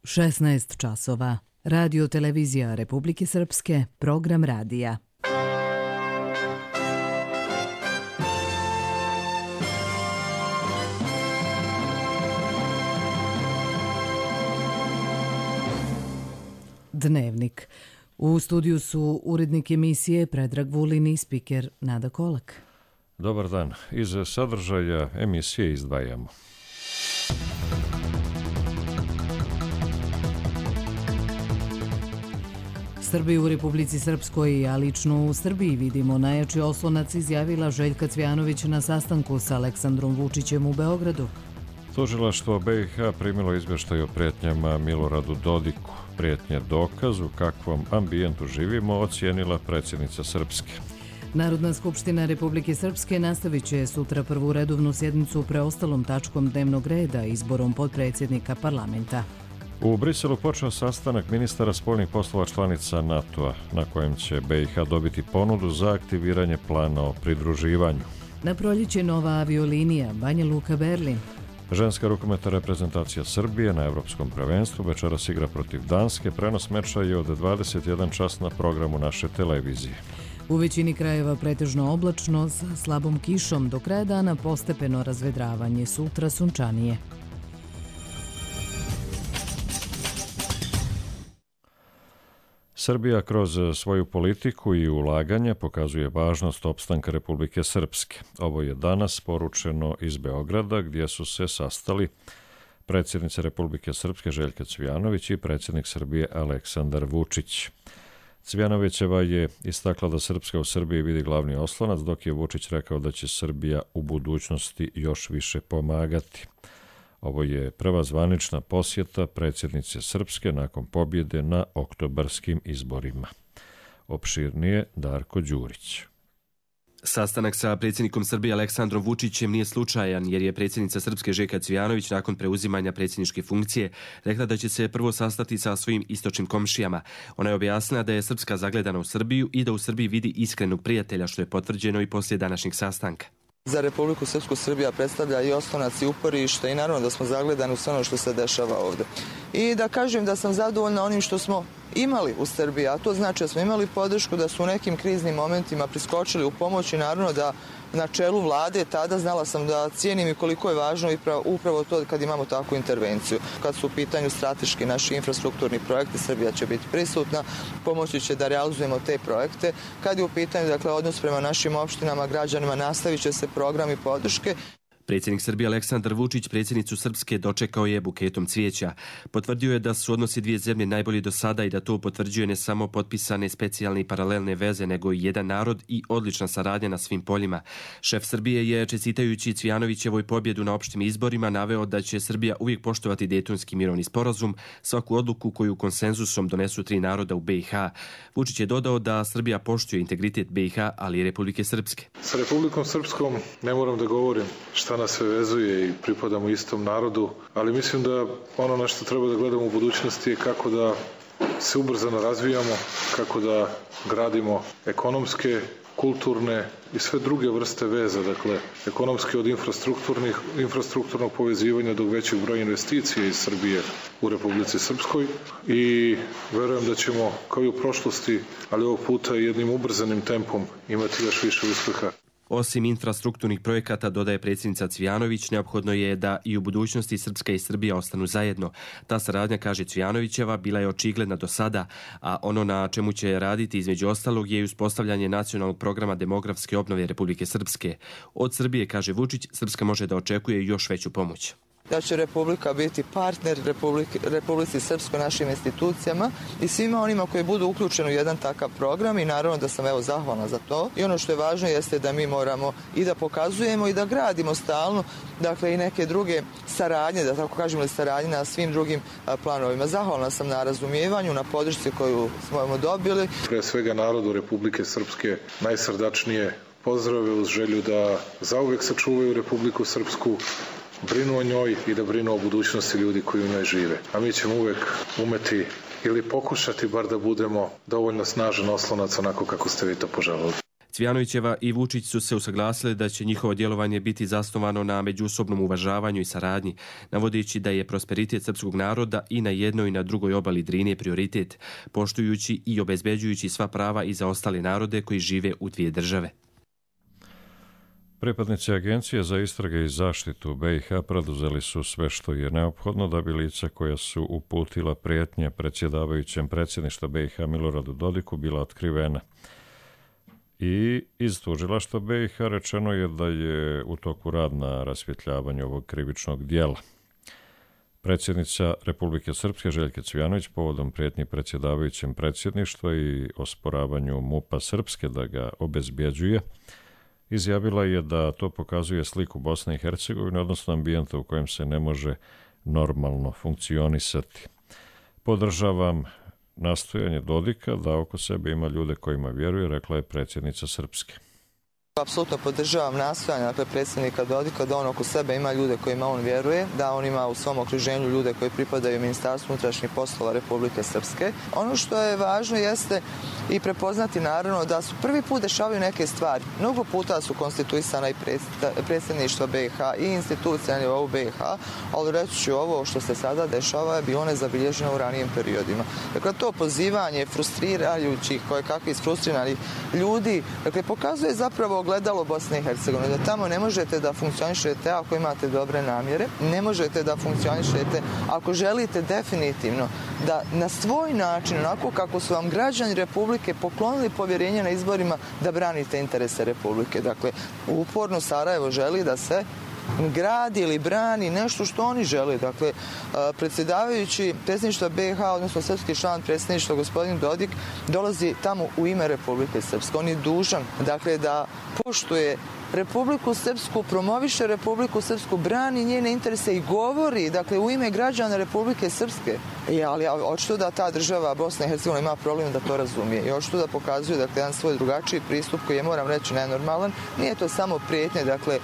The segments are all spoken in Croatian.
16 časova. Radio televizija Republike Srpske, program radija. Dnevnik. U studiju su urednik emisije Predrag Vulin i spiker Nada Kolak. Dobar dan. Iz sadržaja emisije izdvajamo. Srbi u Republici Srpskoj, a lično u Srbiji vidimo najjači oslonac, izjavila Željka Cvijanović na sastanku sa Aleksandrom Vučićem u Beogradu. Tužilaštvo BiH primilo izvještaj o prijetnjama Miloradu Dodiku. Prijetnje dokaz u kakvom ambijentu živimo, ocijenila predsjednica Srpske. Narodna skupština Republike Srpske nastavit će sutra prvu redovnu sjednicu preostalom tačkom dnevnog reda, izborom potpredsjednika parlamenta. U Briselu počeo sastanak ministara spoljnih poslova članica NATO-a, na kojem će BiH dobiti ponudu za aktiviranje plana o pridruživanju. Na proljeće nova aviolinija Banja Luka Berlin. Ženska rukometna reprezentacija Srbije na Evropskom prvenstvu večeras igra protiv Danske. Prenos meča je od 21 čas na programu naše televizije. U većini krajeva pretežno oblačno sa slabom kišom, do kraja dana postepeno razvedravanje, sutra sunčanije. Srbija kroz svoju politiku i ulaganje pokazuje važnost opstanka Republike Srpske. Ovo je danas poručeno iz Beograda, gdje su se sastali predsjednica Republike Srpske Željka Cvijanović i predsjednik Srbije Aleksandar Vučić. Cvijanovićeva je istakla da Srpska u Srbiji vidi glavni oslonac, dok je Vučić rekao da će Srbija u budućnosti još više pomagati. Ovo je prva zvanična posjeta predsjednice Srpske nakon pobjede na oktobarskim izborima. Opširnije Darko Đurić. Sastanak sa predsjednikom Srbije Aleksandrom Vučićem nije slučajan, jer je predsjednica Srpske Željka Cvijanović nakon preuzimanja predsjedničke funkcije rekla da će se prvo sastati sa svojim istočnim komšijama. Ona je objasnila da je Srpska zagledana u Srbiju i da u Srbiji vidi iskrenog prijatelja, što je potvrđeno i poslije današnjeg sastanka. Za Republiku Srpsku Srbija predstavlja i oslonac i uporište i naravno da smo zagledani u sve ono što se dešava ovdje. I da kažem da sam zadovoljna onim što smo imali u Srbiji, a to znači da smo imali podršku, da su u nekim kriznim momentima priskočili u pomoć i naravno da na čelu vlade tada znala sam da cijenim i koliko je važno upravo to kad imamo takvu intervenciju. Kad su u pitanju strateški naši infrastrukturni projekti, Srbija će biti prisutna, pomoći će da realizujemo te projekte. Kad je u pitanju odnos prema našim opštinama, građanima, nastavit će se programi podrške. Predsjednik Srbije Aleksandar Vučić predsjednicu Srpske dočekao je buketom cvijeća. Potvrdio je da su odnosi dvije zemlje najbolji do sada i da to potvrđuje ne samo potpisane specijalne i paralelne veze, nego i jedan narod i odlična saradnja na svim poljima. Šef Srbije je, čestitajući Cvijanovićevoj pobjedu na opštim izborima, naveo da će Srbija uvijek poštovati Dejtonski mirovni sporazum, svaku odluku koju konsenzusom donesu tri naroda u BiH. Vučić je dodao da Srbija poštuje integritet BiH, ali i Republike Srpske. Sa Republikom Srpskom ne moram da govorim šta nas sve vezuje i pripadamo istom narodu, ali mislim da ono na što treba da gledamo u budućnosti je kako da se ubrzano razvijamo, kako da gradimo ekonomske, kulturne i sve druge vrste veza, dakle ekonomske od infrastrukturnog povezivanja do većeg broja investicija iz Srbije u Republici Srpskoj i verujem da ćemo kao i u prošlosti, ali ovog puta jednim ubrzanim tempom imati još više uspeha. Osim infrastrukturnih projekata, dodaje predsjednica Cvijanović, neophodno je da i u budućnosti Srpska i Srbija ostanu zajedno. Ta saradnja, kaže Cvijanovićeva, bila je očigledna do sada, a ono na čemu će raditi između ostalog je i uspostavljanje nacionalnog programa demografske obnove Republike Srpske. Od Srbije, kaže Vučić, Srpska može da očekuje još veću pomoć. Da će Republika biti partner Republici Srpskoj, našim institucijama i svima onima koji budu uključeni u jedan takav program i naravno da sam zahvalna za to. I ono što je važno jeste da mi moramo i da pokazujemo i da gradimo stalno, dakle i neke druge saradnje, da tako kažemo, saradnje na svim drugim planovima. Zahvalna sam na razumijevanju, na podršci koju smo dobili. Pre svega narodu Republike Srpske najsrdačnije pozdrave uz želju da zauvek sačuvaju Republiku Srpsku, brinu o njoj i da brinu o budućnosti ljudi koji u njoj žive. A mi ćemo uvek umeti ili pokušati bar da budemo dovoljno snažan oslonac onako kako ste vi to poželjeli. Cvijanovićeva i Vučić su se usaglasili da će njihovo djelovanje biti zasnovano na međusobnom uvažavanju i saradnji, navodeći da je prosperitet srpskog naroda i na jednoj i na drugoj obali Drine prioritet, poštujući i obezbeđujući sva prava i za ostale narode koji žive u dvije države. Pripadnici Agencije za istrage i zaštitu BiH preduzeli su sve što je neophodno da bi lica koja su uputila prijetnje predsjedavajućem predsjedništva BiH Miloradu Dodiku bila otkrivena. I iz tužilaštva BiH rečeno je da je u toku rad na rasvjetljavanju ovog krivičnog dijela. Predsjednica Republike Srpske Željka Cvijanović povodom prijetnji predsjedavajućem predsjedništva i osporavanju MUP-a Srpske da ga obezbjeđuje, izjavila je da to pokazuje sliku Bosne i Hercegovine, odnosno ambijenta u kojem se ne može normalno funkcionisati. Podržavam nastojanje Dodika da oko sebe ima ljude kojima vjeruje, rekla je predsjednica Srpske. Apsolutno podržavam nastojanje predsjednika Dodika da on oko sebe ima ljude kojima on vjeruje, da on ima u svom okruženju ljude koji pripadaju Ministarstvu unutrašnjih poslova Republike Srpske. Ono što je važno jeste i prepoznati naravno da su prvi put dešavaju neke stvari. Mnogo puta su konstituisana i predsjedništva BiH i institucije na nivou BiH, ali reći ću ovo što se sada dešava je bilo nezabilježeno u ranijim periodima. Dakle, to pozivanje frustrirajućih, kakvi isfrustriranih ljudi, dakle, pokazuje zapravo ogledalo Bosne i Hercegovine, da tamo ne možete da funkcionišete ako imate dobre namjere, ne možete da funkcionišete ako želite definitivno da na svoj način, onako kako su vam građani Republike poklonili povjerenje na izborima, da branite interese Republike. Dakle, uporno Sarajevo želi da se gradi ili brani nešto što oni žele. Dakle, predsjedavajući predsjedništva BiH, odnosno srpski član predsjedništva gospodin Dodik, dolazi tamo u ime Republike Srpske. On je dužan, dakle, da poštuje Republiku Srpsku, promoviše Republiku Srpsku, brani njene interese i govori, dakle, u ime građana Republike Srpske. Ali očito da ta država Bosna i Hercegovina ima problem da to razumije i očito da pokazuje, dakle, jedan svoj drugačiji pristup koji je, moram reći, nenormalan. Nije to samo prijetnje, dakle,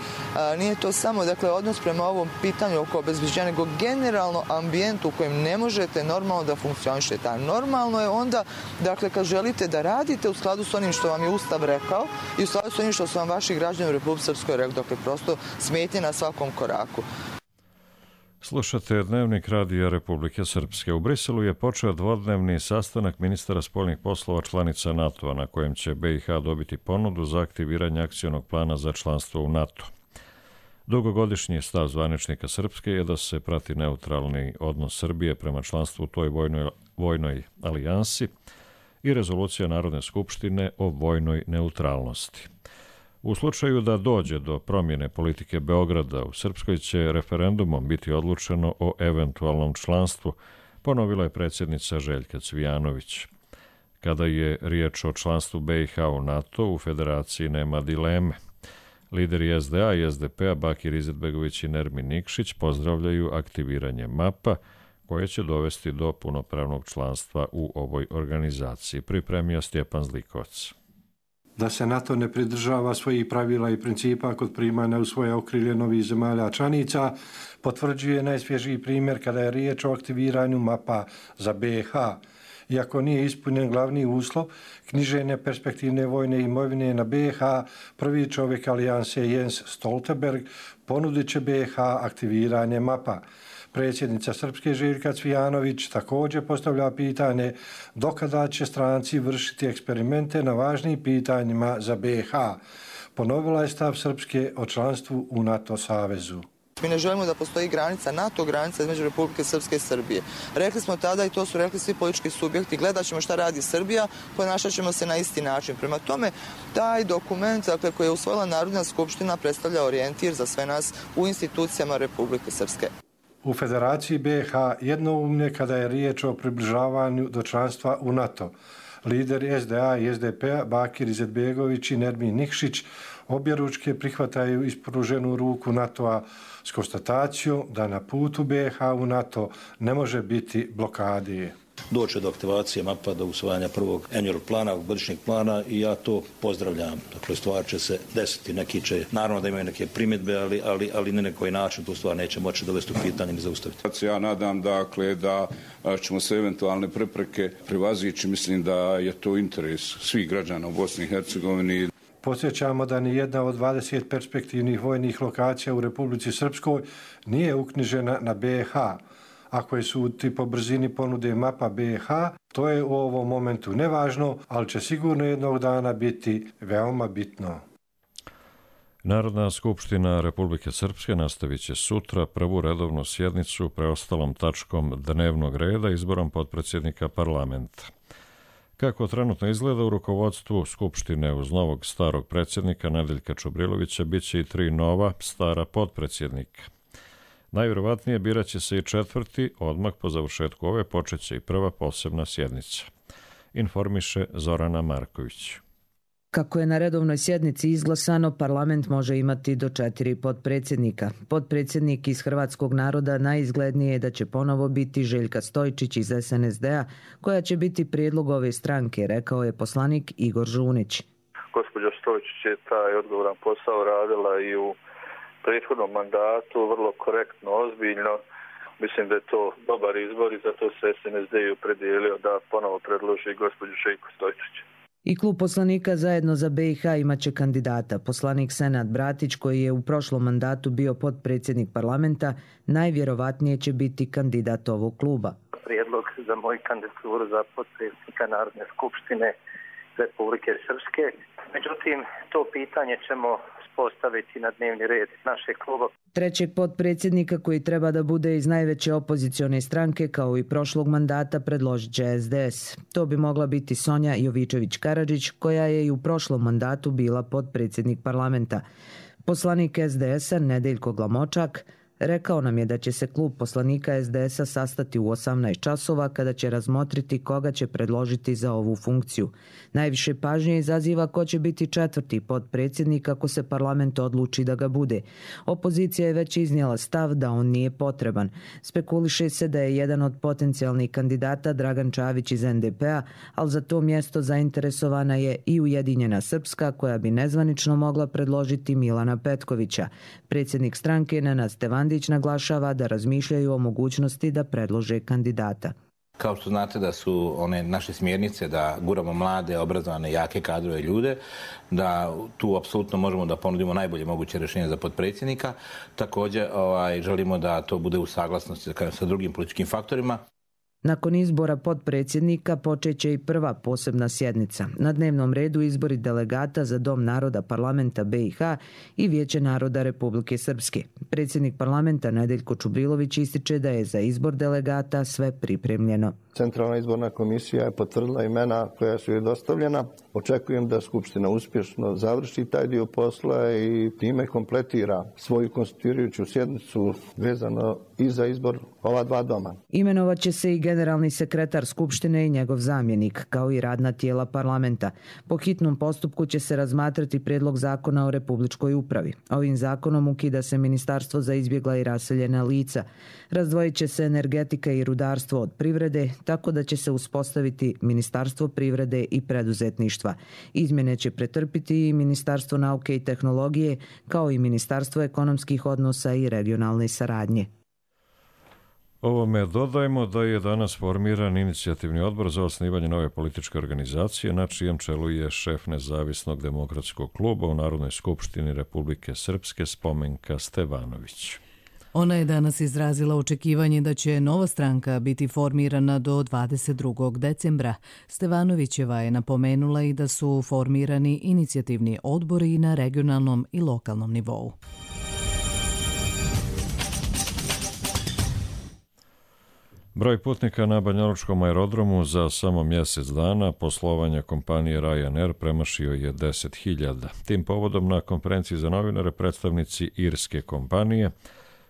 nije to samo, dakle, odnos prema ovom pitanju oko obezbeđenja, nego generalno ambijent u kojem ne možete normalno da funkcionišete. A normalno je onda, dakle, kad želite da radite u skladu s onim što vam je Ustav rekao i u skladu s onim što su vam vaši građani u Republike Srpskoj rekli, dakle, prosto smetnje na svakom koraku. Slušate Dnevnik radija Republike Srpske. U Briselu je počeo dvodnevni sastanak ministara spoljnih poslova članica NATO-a, na kojem će BiH dobiti ponudu za aktiviranje akcionog plana za članstvo u NATO. Dugogodišnji stav zvaničnika Srpske je da se prati neutralni odnos Srbije prema članstvu u toj vojnoj alijansi i rezolucija Narodne skupštine o vojnoj neutralnosti. U slučaju da dođe do promjene politike Beograda, u Srpskoj će referendumom biti odlučeno o eventualnom članstvu, ponovila je predsjednica Željka Cvijanović. Kada je riječ o članstvu BiH u NATO, u federaciji nema dileme. Lideri SDA i SDP-a Bakir Izetbegović i Nermin Nikšić pozdravljaju aktiviranje MAP-a, koje će dovesti do punopravnog članstva u ovoj organizaciji, pripremio Stjepan Zlikovac. Da se NATO ne pridržava svojih pravila i principa kod primanja u svoje okrilje novih zemalja članica, potvrđuje najsvježiji primjer kada je riječ o aktiviranju MAP-a za BiH. Iako nije ispunjen glavni uslov knjiženja perspektivne vojne imovine na BiH, prvi čovjek alijanse Jens Stoltenberg ponudit će BiH aktiviranje MAP-a. Predsjednica Srpske Željka Cvijanović također postavlja pitanje dokada će stranci vršiti eksperimente na važnim pitanjima za BiH. Ponovila je stav Srpske o članstvu u NATO savezu. Mi ne želimo da postoji granica, NATO granica između Republike Srpske i Srbije. Rekli smo tada i to su rekli svi politički subjekti, gledat ćemo šta radi Srbija, ponašat ćemo se na isti način. Prema tome, taj dokument, dakle, koji je usvojila Narodna skupština, predstavlja orijentir za sve nas u institucijama Republike Srpske. U Federaciji BiH jednoumlje kada je riječ o približavanju do članstva u NATO. Lideri SDA i SDP-a Bakir Izetbegović i Nermin Nikšić objeručke prihvataju ispruženu ruku NATO-a s konstatacijom da na putu BiH u NATO ne može biti blokade. Doće do aktivacije MAP-a, do usvajanja prvog annual plana, godišnjeg plana i ja to pozdravljam. Dakle, stvar će se desiti. Neki će, naravno da imaju neke primjedbe, ali ne na koji način tu stvar neće moći dovesti u pitanje i zaustaviti. Ja nadam, dakle, da ćemo se eventualne prepreke prevazići. Mislim da je to interes svih građana u Bosni i Hercegovini. Podsjećamo da ni jedna od 20 perspektivnih vojnih lokacija u Republici Srpskoj nije uknjižena na BiH. Ako je suditi po brzini ponude mapa BiH, to je u ovom momentu nevažno, ali će sigurno jednog dana biti veoma bitno. Narodna skupština Republike Srpske nastavit će sutra prvu redovnu sjednicu preostalom tačkom dnevnog reda izborom potpredsjednika parlamenta. Kako trenutno izgleda u rukovodstvu Skupštine uz novog starog predsjednika Nedeljka Čubrilovića bit će i 3 nova stara potpredsjednika. Najvjerovatnije birat će se i 4. odmah po završetku ove počeće i prva posebna sjednica. Informiše Zorana Marković. Kako je na redovnoj sjednici izglasano, parlament može imati do 4 potpredsjednika. Potpredsjednik iz Hrvatskog naroda najizglednije je da će ponovo biti Željka Stojčić iz SNSD-a, koja će biti prijedlog ove stranke, rekao je poslanik Igor Žunić. Gospođa Stojčić je taj odgovoran posao radila i u prethodnom mandatu, vrlo korektno, ozbiljno. Mislim da je to dobar izbor i zato se SNSD i opredijelio da ponovo predloži gospođu Željku Stojčić. I klub poslanika Zajedno za BiH imaće kandidata. Poslanik Senad Bratić, koji je u prošlom mandatu bio potpredsjednik parlamenta, najvjerovatnije će biti kandidat ovog kluba. Prijedlog za moju kandidaturu za potpredsjednika Narodne skupštine Republike Srpske. Međutim, to pitanje ćemo postaviti na dnevni red našeg kluba. Trećeg potpredsjednika, koji treba da bude iz najveće opozicione stranke kao i prošlog mandata, predložit će SDS. To bi mogla biti Sonja Jovičević-Karadžić, koja je i u prošlom mandatu bila potpredsjednik parlamenta. Poslanik SDS-a Nedeljko Glamočak rekao nam je da će se klub poslanika SDS-a sastati u 18 časova kada će razmotriti koga će predložiti za ovu funkciju. Najviše pažnje izaziva ko će biti 4. potpredsjednik ako se parlament odluči da ga bude. Opozicija je već iznijela stav da on nije potreban. Spekuliše se da je jedan od potencijalnih kandidata Dragan Čavić iz NDP-a, ali za to mjesto zainteresovana je i Ujedinjena Srpska, koja bi nezvanično mogla predložiti Milana Petkovića. Predsjednik stranke Nenad Stevandić naglašava da razmišljaju o mogućnosti da predlože kandidata. Kao što znate da su one naše smjernice da guramo mlade, obrazovane, jake kadrove ljude, da tu apsolutno možemo da ponudimo najbolje moguće rješenje za potpredsjednika. Također želimo da to bude u saglasnosti sa drugim političkim faktorima. Nakon izbora potpredsjednika počeće i prva posebna sjednica. Na dnevnom redu izbori delegata za Dom naroda parlamenta BiH i Vijeće naroda Republike Srpske. Predsjednik parlamenta Nedeljko Čubrilović ističe da je za izbor delegata sve pripremljeno. Centralna izborna komisija je potvrdila imena koja su joj dostavljena. Očekujem da Skupština uspješno završi taj dio posla i time kompletira svoju konstituirajuću sjednicu vezano i za izbor ova 2 doma. Imenovat će se i generalni sekretar Skupštine i njegov zamjenik, kao i radna tijela parlamenta. Po hitnom postupku će se razmatrati prijedlog zakona o republičkoj upravi. Ovim zakonom ukida se Ministarstvo za izbjegla i raseljena lica. Razdvojit će se energetika i rudarstvo od privrede, tako da će se uspostaviti Ministarstvo privrede i preduzetništva. Izmjene će pretrpiti i Ministarstvo nauke i tehnologije, kao i Ministarstvo ekonomskih odnosa i regionalne saradnje. Ovome dodajmo da je danas formiran inicijativni odbor za osnivanje nove političke organizacije, na čijem čelu je šef Nezavisnog demokratskog kluba u Narodnoj skupštini Republike Srpske Spomenka Stevanović. Ona je danas izrazila očekivanje da će nova stranka biti formirana do 22. decembra. Stevanovićeva je napomenula i da su formirani inicijativni odbori na regionalnom i lokalnom nivou. Broj putnika na banjalučkom aerodromu za samo mjesec dana poslovanja kompanije Ryanair premašio je 10.000. Tim povodom na konferenciji za novinare predstavnici irske kompanije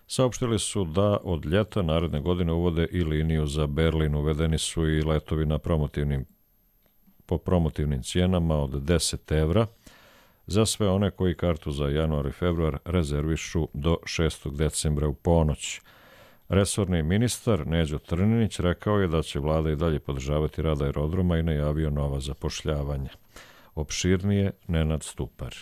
saopštili su da od ljeta naredne godine uvode i liniju za Berlin. Uvedeni su i letovi po promotivnim cijenama od 10 evra za sve one koji kartu za januar i februar rezervišu do 6. decembra u ponoć. Resorni ministar Neđo Trninić rekao je da će vlada i dalje podržavati rad aerodroma i najavio nova zapošljavanja. Opširnije Nenad Stupar.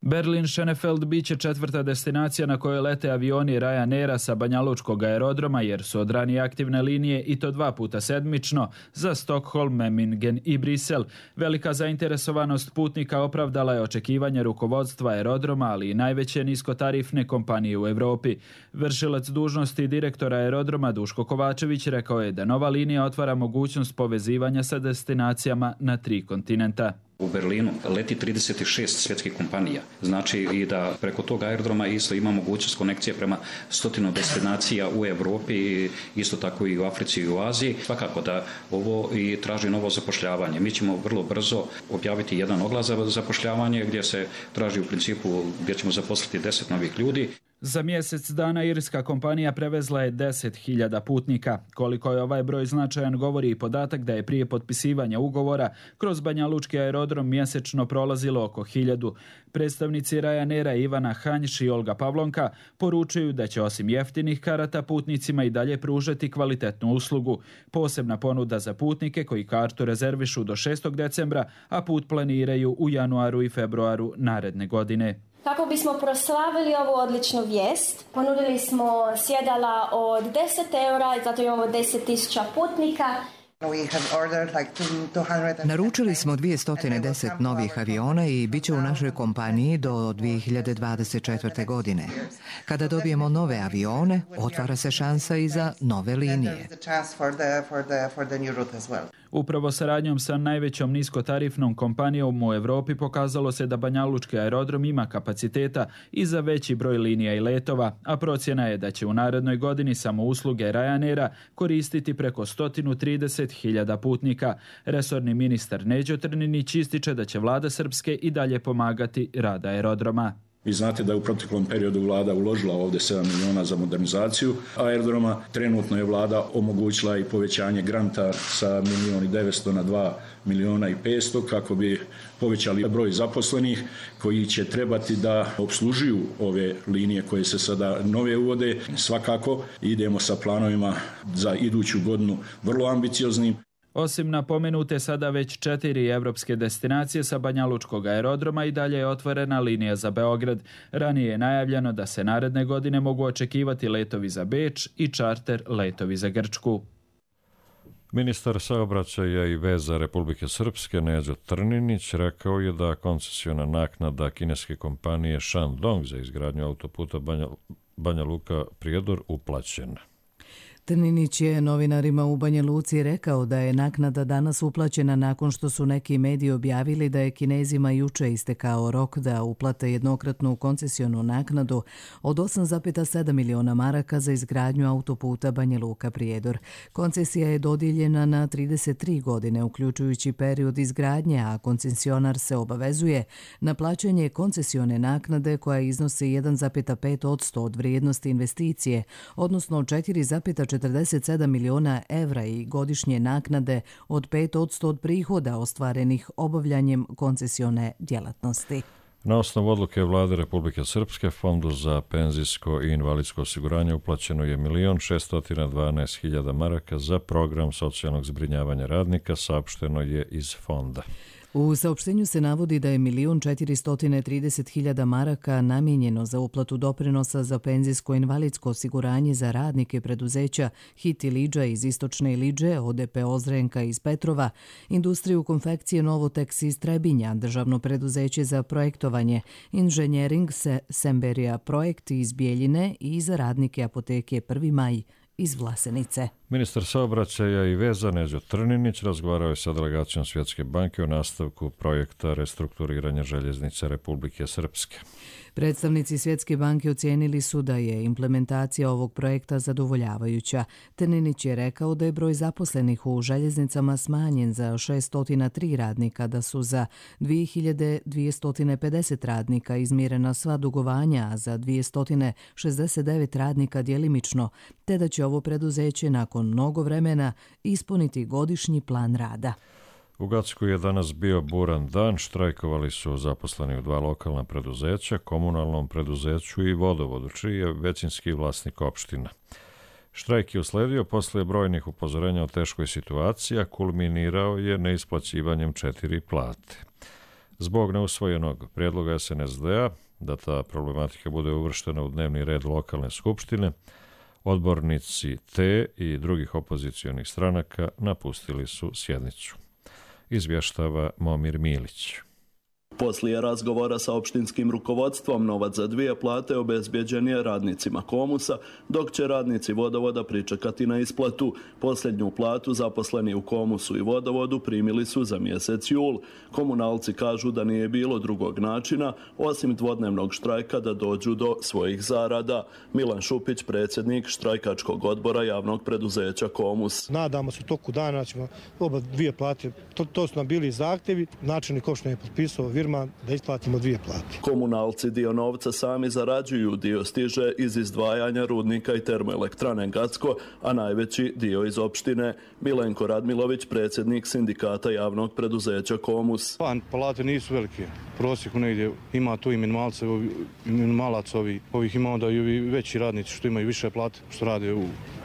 Berlin-Schönefeld bit će četvrta destinacija na kojoj lete avioni Ryanaira sa banjalučkog aerodroma jer su od ranije aktivne linije i to 2 puta sedmično za Stockholm, Memmingen i Brisel. Velika zainteresovanost putnika opravdala je očekivanje rukovodstva aerodroma, ali i najveće niskotarifne kompanije u Europi. Vršilac dužnosti direktora aerodroma Duško Kovačević rekao je da nova linija otvara mogućnost povezivanja sa destinacijama na 3 kontinenta. U Berlinu leti 36 svjetskih kompanija. Znači i da preko tog aerodroma isto ima mogućnost konekcije prema 100 destinacija u Europi i isto tako i u Africi i u Aziji. Svakako da ovo i traži novo zapošljavanje. Mi ćemo vrlo brzo objaviti jedan oglas za zapošljavanje gdje se traži u principu gdje ćemo zaposliti 10 novih ljudi. Za mjesec dana irska kompanija prevezla je 10.000 putnika. Koliko je ovaj broj značajan govori i podatak da je prije potpisivanja ugovora kroz banjalučki aerodrom mjesečno prolazilo oko 1.000. Predstavnici Ryanaira Ivana Hanjš i Olga Pavlonka poručuju da će osim jeftinih karata putnicima i dalje pružati kvalitetnu uslugu. Posebna ponuda za putnike koji kartu rezervišu do 6. decembra, a put planiraju u januaru i februaru naredne godine. Kako bismo proslavili ovu odličnu vijest, ponudili smo sjedala od 10 eura, zato imamo 10.000 putnika. Naručili smo 210 novih aviona i bit će u našoj kompaniji do 2024. godine. Kada dobijemo nove avione, otvara se šansa i za nove linije. Upravo saradnjom sa najvećom niskotarifnom kompanijom u Europi pokazalo se da banjalučki aerodrom ima kapaciteta i za veći broj linija i letova, a procjena je da će u narednoj godini samo usluge Ryanaira koristiti preko 130.000 putnika. Resorni ministar Neđo Trninić ističe da će vlada Srpske i dalje pomagati rad aerodroma. Vi znate da je u proteklom periodu vlada uložila ovdje 7 miliona za modernizaciju aerodroma. Trenutno je vlada omogućila i povećanje granta sa 1.900.000 na 2.500.000 kako bi povećali broj zaposlenih koji će trebati da opslužuju ove linije koje se sada nove uvode. Svakako idemo sa planovima za iduću godinu vrlo ambicioznim. Osim napomenute sada već 4 evropske destinacije sa banjalučkog aerodroma i dalje je otvorena linija za Beograd. Ranije je najavljeno da se naredne godine mogu očekivati letovi za Beč i čarter letovi za Grčku. Ministar saobraćaja i veza Republike Srpske Neđo Trninić rekao je da koncesiona naknada kineske kompanije Shandong za izgradnju autoputa Banja Luka-Prijedor uplaćena. Trninić je novinarima u Banja Luci rekao da je naknada danas uplaćena nakon što su neki mediji objavili da je Kinezima juče istekao rok da uplate jednokratnu koncesionu naknadu od 8,7 miliona maraka za izgradnju autoputa Banja Luka-Prijedor. Koncesija je dodijeljena na 33 godine, uključujući period izgradnje, a koncesionar se obavezuje na plaćanje koncesione naknade koja iznosi 1,5% od vrijednosti investicije, odnosno 4,47 miliona evra i godišnje naknade od 5% od prihoda ostvarenih obavljanjem koncesione djelatnosti. Na osnovu odluke vlade Republike Srpske Fondu za penzijsko i invalidsko osiguranje uplaćeno je 1.612.000 maraka za program socijalnog zbrinjavanja radnika, saopšteno je iz fonda. U saopštenju se navodi da je 1.430.000 maraka namijenjeno za uplatu doprinosa za penzijsko-invalidsko osiguranje za radnike preduzeća HIT Ilidža iz Istočne Ilidže, ODP Ozrenka iz Petrova, Industriju konfekcije Novoteks iz Trebinja, Državno preduzeće za projektovanje, Inženjering Semberija Projekt iz Bijeljine i za radnike apoteke 1. maj iz Vlasenice. Ministar saobraćaja i veza Neđo Trninić razgovarao je sa delegacijom Svjetske banke o nastavku projekta restrukturiranja željeznice Republike Srpske. Predstavnici Svjetske banke ocijenili su da je implementacija ovog projekta zadovoljavajuća. Trninić je rekao da je broj zaposlenih u željeznicama smanjen za 603 radnika, da su za 2250 radnika izmirena sva dugovanja, a za 269 radnika djelimično, te da će ovo preduzeće nakon mnogo vremena ispuniti godišnji plan rada. U Gacku je danas bio buran dan, štrajkovali su zaposleni u 2 lokalna preduzeća, komunalnom preduzeću i vodovodu, čiji je većinski vlasnik opština. Štrajk je usledio posle brojnih upozorenja o teškoj situaciji, a kulminirao je neisplaćivanjem 4 plate. Zbog neusvojenog prijedloga SNSD-a da ta problematika bude uvrštena u dnevni red lokalne skupštine, odbornici te i drugih opozicionih stranaka napustili su sjednicu. Izvještava Momir Milić. Poslije razgovora sa opštinskim rukovodstvom novac za 2 plate obezbjeđen je radnicima Komusa, dok će radnici Vodovoda pričekati na isplatu. Posljednju platu zaposleni u Komusu i Vodovodu primili su za mjesec jul. Komunalci kažu da nije bilo drugog načina, osim dvodnevnog štrajka, da dođu do svojih zarada. Milan Šupić, predsjednik štrajkačkog odbora javnog preduzeća Komus. Nadamo se u toku dana ćemo oba 2 plate, to su nam bili zahtjevi, načelnik opštine je potpisao Virman da isplatimo 2 plate. Komunalci dio novca sami zarađuju, dio stiže iz izdvajanja rudnika i termoelektrane Gacko, a najveći dio iz opštine. Milenko Radmilović, predsjednik sindikata javnog preduzeća Komus. Plate nisu velike. Prosjeku negdje ima tu i minimalac ovih ima onda i ovi veći radnici što imaju više plate, što rade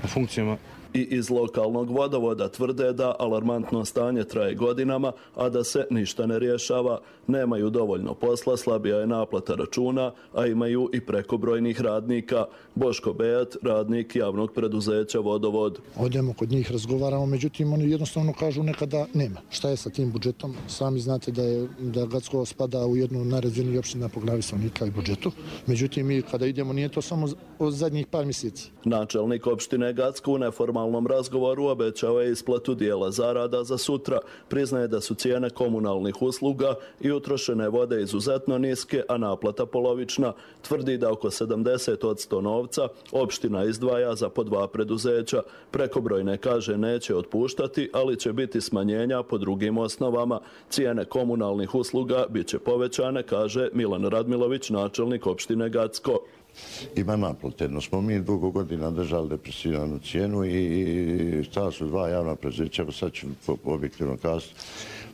na funkcijama. I iz lokalnog Vodovoda tvrde da alarmantno stanje traje godinama, a da se ništa ne rješava. Nemaju dovoljno posla, slabija je naplata računa, a imaju i prekobrojnih radnika. Boško Bejat, radnik javnog preduzeća Vodovod. Odemo kod njih, razgovaramo, međutim oni jednostavno kažu nekada nema. Šta je sa tim budžetom? Sami znate da Gacko spada u jednu najrazvijenijih opština po glavi stanovnika i budžetu. Međutim, mi kada idemo nije to samo od zadnjih par mjeseci. Načelnik opštine Gacko u neformalnom razgovoru obećao je isplatu dijela zarada za sutra. Priznaje da su cijene komunalnih usluga i utrošene vode izuzetno niske, a naplata polovična. Tvrdi da oko 70% novca opština izdvaja za po 2 preduzeća. Prekobrojne, kaže, neće otpuštati, ali će biti smanjenja po drugim osnovama. Cijene komunalnih usluga bit će povećane, kaže Milan Radmilović, načelnik opštine Gacko. Ima naplate, no smo mi dugo godina držali depresivnu cijenu i stala su 2 javna preduzeća, sad ću objektivno kazati,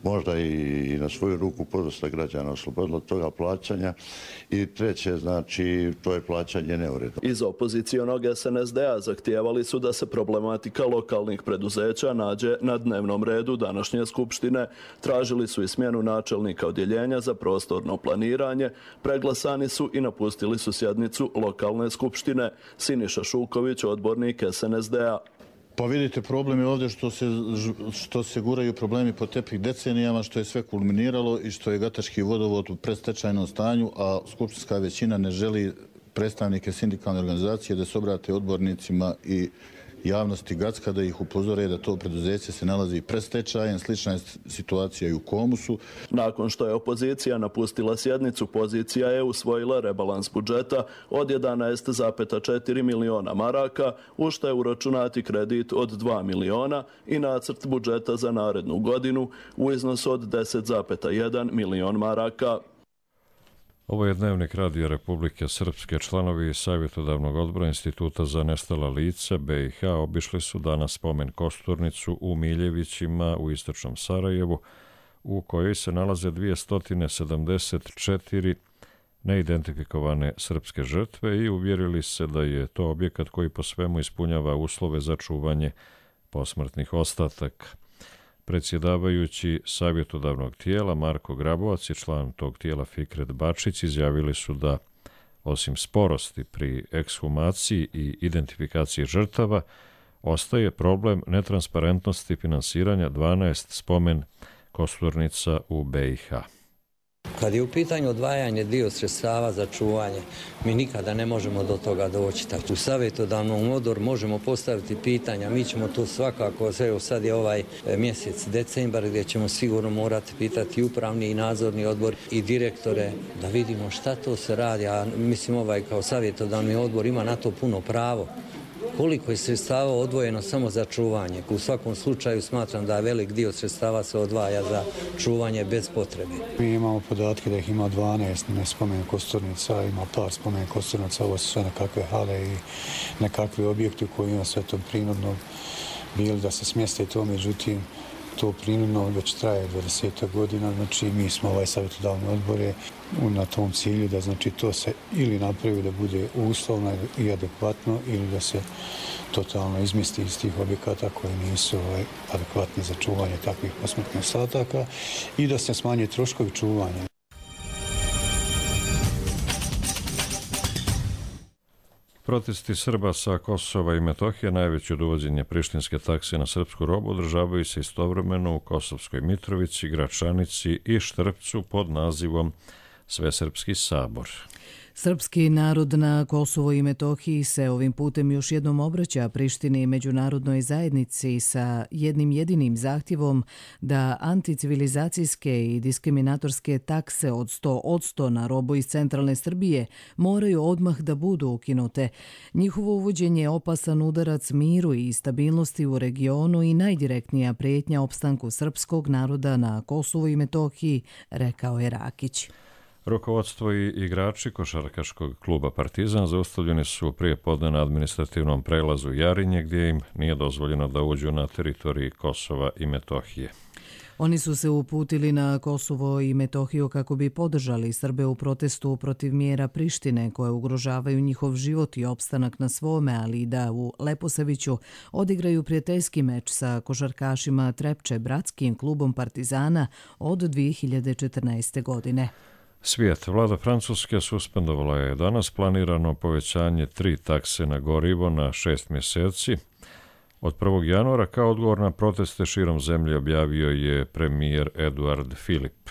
možda i na svoju ruku podosta građana oslobodilo od toga plaćanja. I treće, znači, to je plaćanje neuredno. Iz opozicionog SNSD-a zahtijevali su da se problematika lokalnih preduzeća nađe na dnevnom redu današnje skupštine. Tražili su i smjenu načelnika odjeljenja za prostorno planiranje, preglasani su i napustili su sjednicu lokalne skupštine. Siniša Šuković, odbornik SNSD-a. Pa vidite, problem je ovdje što se guraju problemi po tepih decenijama, što je sve kulminiralo i što je Gatački vodovod u predstečajnom stanju, a skupštinska većina ne želi predstavnike sindikalne organizacije da se obrate odbornicima i javnosti Gacka da ih upozore da to preduzeće se nalazi pred stečajem. Slična je situacija i u Komusu. Nakon što je opozicija napustila sjednicu, pozicija je usvojila rebalans budžeta od 11,4 miliona maraka, u što je uračunati kredit od 2 miliona i nacrt budžeta za narednu godinu u iznosu od 10,1 milion maraka. Ovo je dnevnik Radija Republike Srpske. Članovi savjetodavnog odbora Instituta za nestala lica BiH obišli su danas spomen kosturnicu u Miljevićima u istočnom Sarajevu, u kojoj se nalaze 274 neidentifikovane srpske žrtve i uvjerili se da je to objekat koji po svemu ispunjava uslove za čuvanje posmrtnih ostataka. Predsjedavajući savjetodavnog tijela Marko Grabovac i član tog tijela Fikret Bačić izjavili su da, osim sporosti pri ekshumaciji i identifikaciji žrtava, ostaje problem netransparentnosti finansiranja 12 spomen kosturnica u BiH. Kad je u pitanju odvajanje dio sredstava za čuvanje, mi nikada ne možemo do toga doći. U savjetodavnom odboru možemo postaviti pitanja, mi ćemo to svakako, evo sad je ovaj mjesec decembar gdje ćemo sigurno morati pitati upravni i nadzorni odbor i direktore da vidimo šta to se radi, a mislim kao savjetodavni odbor ima na to puno pravo. Koliko je sredstava odvojeno samo za čuvanje? U svakom slučaju smatram da velik dio sredstava se odvaja za čuvanje bez potrebe. Mi imamo podatke da ih ima 12 spomen kosturnica, ima par spomen kosturnica, ovo su sve nekakve hale i nekakve objekte u kojima sve to prinudno bili da se smjeste to, međutim to prinudno već traje 20 godina, znači mi smo ovaj savjetodavni odbor na tom cilju da znači to se ili napravi da bude uslovno i adekvatno ili da se totalno izmjesti iz tih objekata koji nisu adekvatni za čuvanje takvih posmrtnih ostataka i da se smanje troškovi čuvanja. Protesti Srba sa Kosova i Metohije, najveće od uvođenja prištinske takse na srpsku robu, održavaju se istovremeno u Kosovskoj Mitrovici, Gračanici i Štrpcu pod nazivom Svesrpski sabor. Srpski narod na Kosovo i Metohiji se ovim putem još jednom obraća Prištini i međunarodnoj zajednici sa jednim jedinim zahtjevom da anticivilizacijske i diskriminatorske takse od 100% na robu iz centralne Srbije moraju odmah da budu ukinute. Njihovo uvođenje je opasan udarac miru i stabilnosti u regionu i najdirektnija prijetnja opstanku srpskog naroda na Kosovu i Metohiji, rekao je Rakić. Rukovodstvo i igrači košarkaškog kluba Partizan zaustavljeni su prije podne na administrativnom prelazu Jarinje, gdje im nije dozvoljeno da uđu na teritoriji Kosova i Metohije. Oni su se uputili na Kosovo i Metohiju kako bi podržali Srbe u protestu protiv mjera Prištine koje ugrožavaju njihov život i opstanak na svome, ali i da u Leposaviću odigraju prijateljski meč sa košarkašima Trepče, bratskim klubom Partizana od 2014. godine. Svijet. Vlada Francuske suspendovala je danas planirano povećanje 3 takse na gorivo na 6 mjeseci. Od 1. januara kao odgovor na proteste širom zemlje objavio je premijer Eduard Philippe.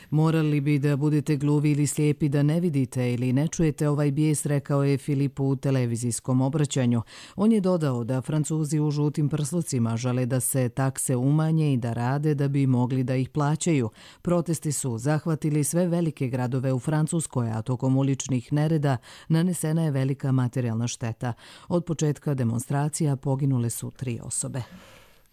Morali bi da budete gluvi ili slijepi da ne vidite ili ne čujete ovaj bijes, rekao je Filip u televizijskom obraćanju. On je dodao da Francuzi u žutim prslucima žele da se takse umanje i da rade da bi mogli da ih plaćaju. Protesti su zahvatili sve velike gradove u Francuskoj, a tokom uličnih nereda nanesena je velika materijalna šteta. Od početka demonstracija poginule su 3 osobe.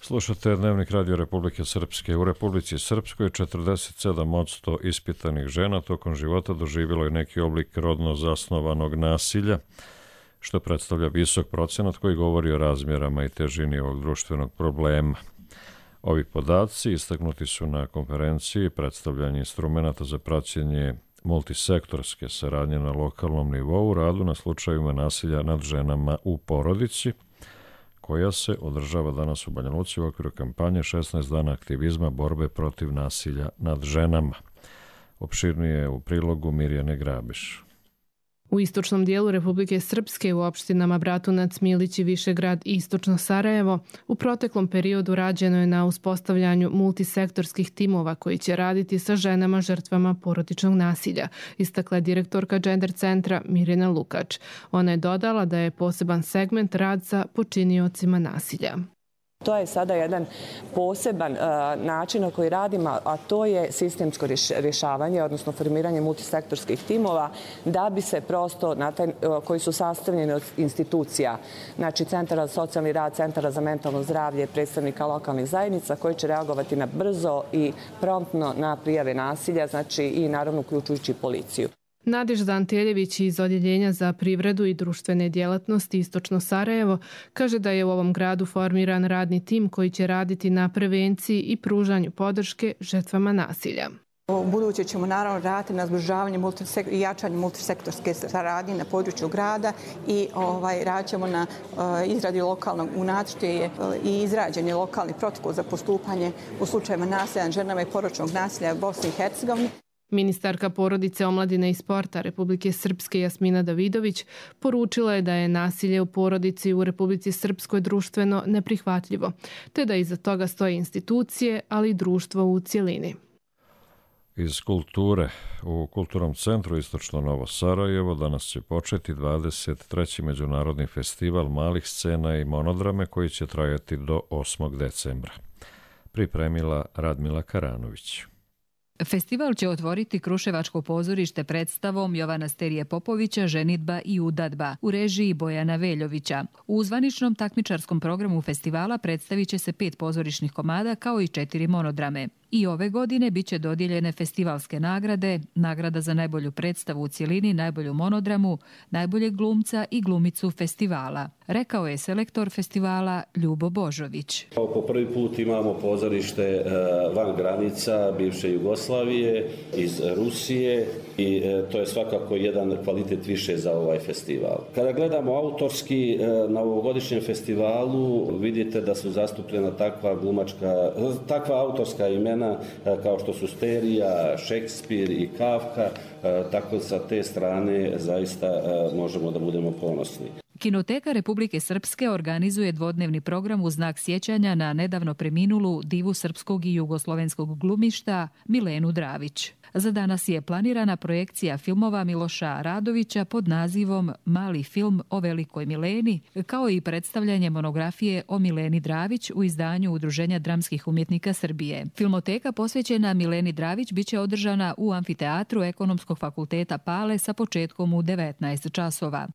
Slušate Dnevnik Radio Republike Srpske. U Republici Srpskoj 47% ispitanih žena tokom života doživjelo je neki oblik rodno zasnovanog nasilja, što predstavlja visok procenat koji govori o razmjerama i težini ovog društvenog problema. Ovi podaci istaknuti su na konferenciji predstavljanje instrumenta za praćenje multisektorske saradnje na lokalnom nivou u radu na slučajevima nasilja nad ženama u porodici, koja se održava danas u Banja Luci u okviru kampanje 16 dana aktivizma borbe protiv nasilja nad ženama. Opširnije u prilogu Mirjane Grabiš. U istočnom dijelu Republike Srpske u opštinama Bratunac, Milić i Višegrad i istočno Sarajevo u proteklom periodu rađeno je na uspostavljanju multisektorskih timova koji će raditi sa ženama žrtvama porodičnog nasilja, istakla je direktorka Gender centra Mirjana Lukač. Ona je dodala da je poseban segment rad sa počiniocima nasilja. To je sada jedan poseban način na koji radimo, a to je sistemsko rješavanje, odnosno formiranje multisektorskih timova, da bi se prosto, koji su sastavljeni od institucija, znači centara za socijalni rad, centara za mentalno zdravlje, predstavnika lokalnih zajednica, koji će reagovati na brzo i promptno na prijave nasilja, znači i naravno uključujući policiju. Nadežda Anteljević iz Odjeljenja za privredu i društvene djelatnosti Istočno Sarajevo kaže da je u ovom gradu formiran radni tim koji će raditi na prevenciji i pružanju podrške žrtvama nasilja. U buduće ćemo naravno raditi na zbližavanju i jačanju multisektorske saradnje na području grada i radit ćemo na izradi lokalnog unacrta i izrađen je lokalni protokol za postupanje u slučajevima nasilja nad ženama i porodičnog nasilja u Bosni i Hercegovini. Ministarka porodice, omladine i sporta Republike Srpske Jasmina Davidović poručila je da je nasilje u porodici u Republici Srpskoj društveno neprihvatljivo, te da iza toga stoje institucije, ali i društvo u cjelini. Iz kulture. U Kulturnom centru Istočno Novo Sarajevo danas će početi 23. međunarodni festival malih scena i monodrame koji će trajati do 8. decembra. Pripremila Radmila Karanović. Festival će otvoriti Kruševačko pozorište predstavom Jovana Sterije Popovića Ženidba i udadba u režiji Bojana Veljovića. U zvaničnom takmičarskom programu festivala predstavit će se 5 pozorišnih komada kao i 4 monodrame. I ove godine biće dodijeljene festivalske nagrade, nagrada za najbolju predstavu u cjelini, najbolju monodramu, najboljeg glumca i glumicu festivala, rekao je selektor festivala Ljubo Božović. Po prvi put imamo pozorište van granica bivše Jugoslavije, iz Rusije i to je svakako jedan kvalitet više za ovaj festival. Kada gledamo autorski na ovogodišnjem festivalu, vidite da su zastupljena takva autorska imena kao što su Sterija, Šekspir i Kafka, tako sa te strane zaista možemo da budemo ponosni. Kinoteka Republike Srpske organizuje dvodnevni program u znak sjećanja na nedavno preminulu divu srpskog i jugoslovenskog glumišta Milenu Dravić. Za danas je planirana projekcija filmova Miloša Radovića pod nazivom Mali film o velikoj Mileni, kao i predstavljanje monografije o Mileni Dravić u izdanju Udruženja dramskih umjetnika Srbije. Filmoteka posvećena Mileni Dravić biće održana u amfiteatru Ekonomskog fakulteta Pale sa početkom u 19 časova.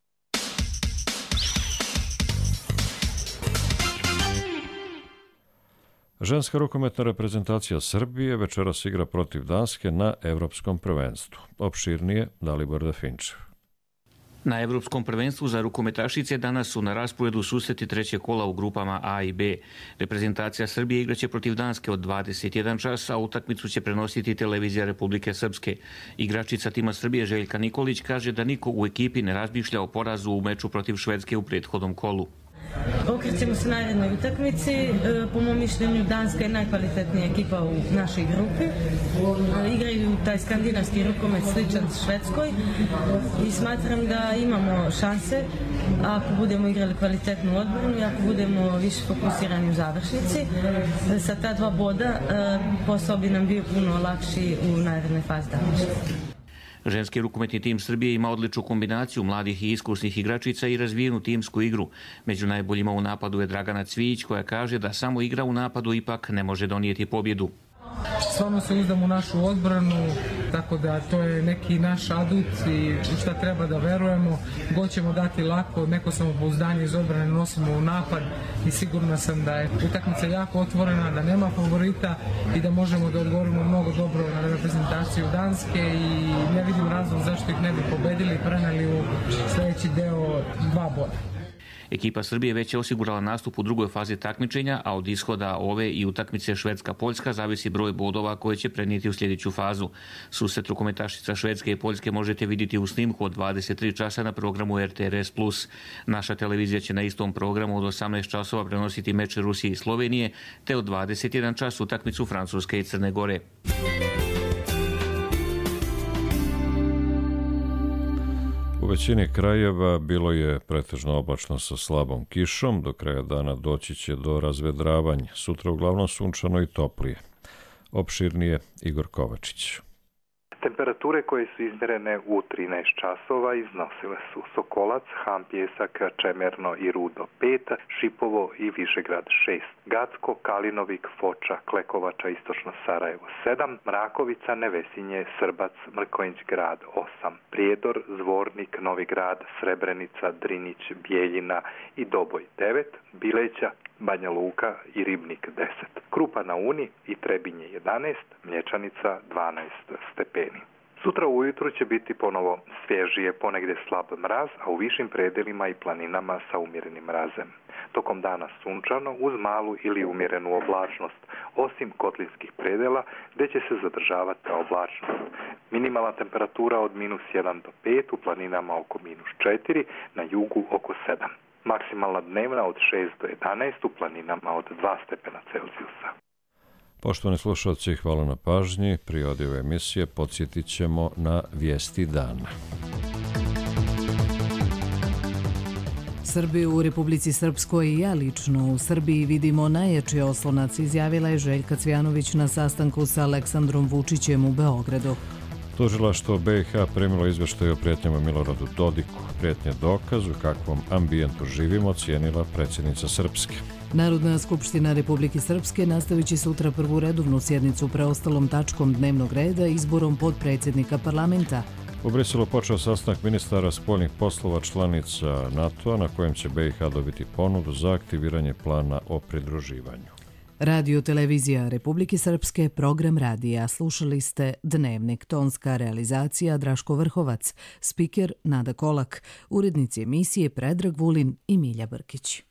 Ženska rukometna reprezentacija Srbije večeras igra protiv Danske na Evropskom prvenstvu. Opširnije Dalibor Dafinčev. Na Evropskom prvenstvu za rukometašice danas su na rasporedu susreti trećeg kola u grupama A i B. Reprezentacija Srbije igraće protiv Danske od 21 čas, a utakmicu će prenositi televizija Republike Srpske. Igračica tima Srbije Željka Nikolić kaže da niko u ekipi ne razmišlja o porazu u meču protiv Švedske u prethodnom kolu. Okrećemo se narednoj utakmici. Po mom mišljenju Danska je najkvalitetnija ekipa u našoj grupi. Igraju taj skandinavski rukomet sličan Švedskoj i smatram da imamo šanse ako budemo igrali kvalitetnu odbranu i ako budemo više fokusirani u završnici. Sa ta 2 boda posao bi nam bio puno lakši u narednoj fazi takmičenja. Ženski rukometni tim Srbije ima odličnu kombinaciju mladih i iskusnih igračica i razvijenu timsku igru. Među najboljima u napadu je Dragana Cvijić, koja kaže da samo igra u napadu ipak ne može donijeti pobjedu. Stvarno se uzdam u našu odbranu, tako da to je neki naš adut i šta treba da verujemo. God ćemo dati lako, neko samopouzdanje iz odbrane nosimo u napad i sigurna sam da je utakmica jako otvorena, da nema favorita i da možemo da odgovorimo mnogo dobro na reprezentaciju Danske i ne vidim razlog zašto ih ne bi pobedili i preneli u sljedeći deo 2 boda. Ekipa Srbije već je osigurala nastup u drugoj fazi takmičenja, a od ishoda ove i utakmice Švedska-Poljska zavisi broj bodova koje će prenijeti u sljedeću fazu. Susret rukometašica Švedske i Poljske možete vidjeti u snimku od 23 časa na programu RTRS+. Naša televizija će na istom programu od 18 časova prenositi meč Rusije i Slovenije, te od 21 čas utakmicu Francuske i Crne Gore. U većini krajeva bilo je pretežno oblačno sa slabom kišom, do kraja dana doći će do razvedravanja. Sutra uglavnom sunčano i toplije. Opširnije Igor Kovačić. Temperature koje su izmjerene u 13 časova iznosile su Sokolac, Han Pjesak, Čemerno i Rudo 5, Šipovo i Višegrad 6, Gacko, Kalinovik, Foča, Klekovača, Istočno Sarajevo 7, Mrakovica, Nevesinje, Srbac, Mrkonjić grad 8, Prijedor, Zvornik, Novi grad, Srebrenica, Drinić, Bijeljina i Doboj 9, Bileća, Banja Luka i Ribnik 10, Krupa na Uni i Trebinje 11, Mlječanica 12 stepeni. Sutra ujutru će biti ponovo svježije, ponegdje slab mraz, a u višim predelima i planinama sa umjerenim mrazem. Tokom dana sunčano uz malu ili umjerenu oblačnost, osim kotlinskih predela gdje će se zadržavati ta oblačnost. Minimalna temperatura od -1 do 5, u planinama oko -4, na jugu oko 7. Maksimalna dnevna od 6 do 11, u planinama od 2 stepena Celzijusa. Poštovani slušalci, hvala na pažnji. Pri ove emisije podsjetit ćemo na vijesti dana. Srbiju u Republici Srpskoj i ja lično u Srbiji vidimo najjači oslonac, izjavila je Željka Cvjanović na sastanku sa Aleksandrom Vučićem u Beogradu. Tužilaštvo BiH primilo izveštaj o prijetnjama Miloradu Dodiku. Prijetnje dokaz u kakvom ambijentu živimo, cijenila predsjednica Srpske. Narodna skupština Republike Srpske nastavit će sutra prvu redovnu sjednicu preostalom tačkom dnevnog reda izborom podpredsjednika parlamenta. U Briselu počeo sastanak ministara spoljnih poslova članica NATO-a na kojem će BiH dobiti ponudu za aktiviranje plana o pridruživanju. Radio televizija Republike Srpske, program radija. Slušali ste Dnevnik, tonska realizacija Draško Vrhovac, spiker Nada Kolak, urednici emisije Predrag Vulin i Milja Brkić.